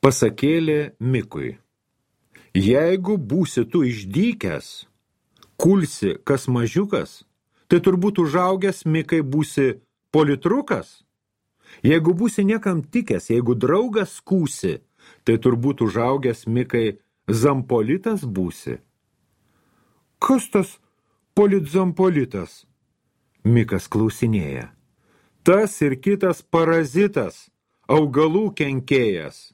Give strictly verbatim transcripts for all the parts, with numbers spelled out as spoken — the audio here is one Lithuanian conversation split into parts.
Pasakėlė Mikui. Jeigu būsi tu išdykęs, kulsi kas mažiukas, tai turbūt užaugęs Mikai būsi politrukas. Jeigu būsi niekam tikęs, jeigu draugas skūsi, tai turbūt užaugęs Mikai zampolitas būsi. Kas tas politzampolitas? Mikas klausinėja. Tas ir kitas parazitas, augalų kenkėjas.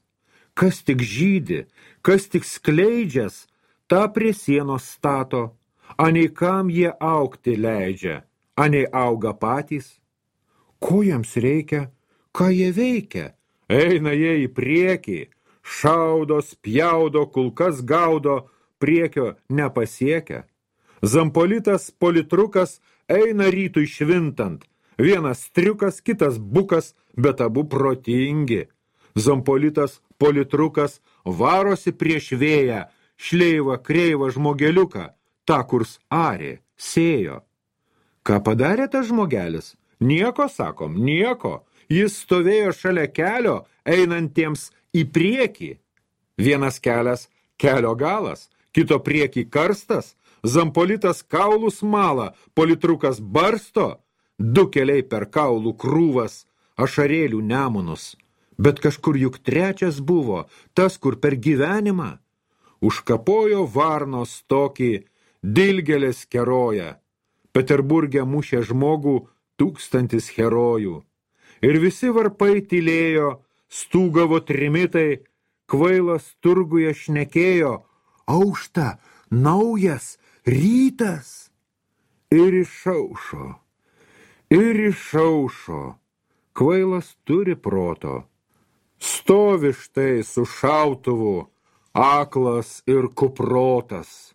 Kas tik žydi, kas tik skleidžias, tą prie sienos stato, anei kam jie augti leidžia, anei auga patys. Ko jiems reikia, ką jie veikia? Eina jie į priekį, šaudo, spjaudo, kulkas gaudo, priekio nepasiekia. Zampolitas politrukas eina rytui švintant, vienas triukas, kitas bukas, bet abu protingi. Zampolitas politrukas varosi prieš vėją, šleivą kreivą žmogeliuką, tą kurs arė, sėjo. Ką padarė tas žmogelis? Nieko, sakom, nieko. Jis stovėjo šalia kelio, einantiems į priekį. Vienas kelias, kelio galas, kito priekį karstas, zampolitas kaulus mala, politrukas barsto, du keliai per kaulų krūvas, ašarėlių nemunus. Bet kažkur juk trečias buvo, tas, kur per gyvenimą. Užkapojo varnos tokį, dilgelės keroja. Peterburge mušė žmogų tūkstantis herojų. Ir visi varpai tylėjo, stūgavo trimitai, kvailas turguje šnekėjo, aušta, naujas, rytas. Ir išaušo, ir išaušo, kvailas turi proto. Stovi štai su šautuvu, aklas ir kuprotas,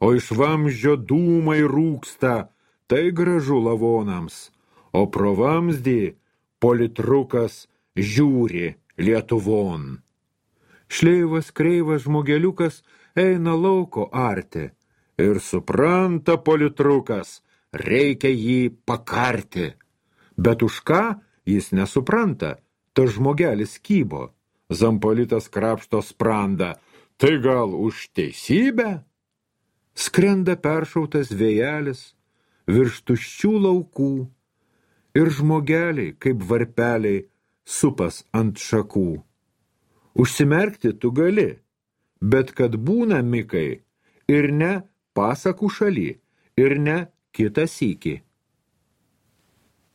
o iš vamzdžio dūmai rūksta, tai gražu lavonams, o pro vamzdį politrukas žiūri Lietuvon. Šleivas kreivas žmogeliukas eina lauko arti ir supranta politrukas, reikia jį pakarti. Bet už ką jis nesupranta, tas žmogelis kybo. Zampolitas krapšto sprandą, tai gal už teisybę? Skrenda peršautas vėjelis virš tuščių laukų ir žmogeliai, kaip varpeliai, supas ant šakų. Užsimerkti tu gali, bet kad būna Mikai ir ne pasakų šaly, ir ne kitą sykį.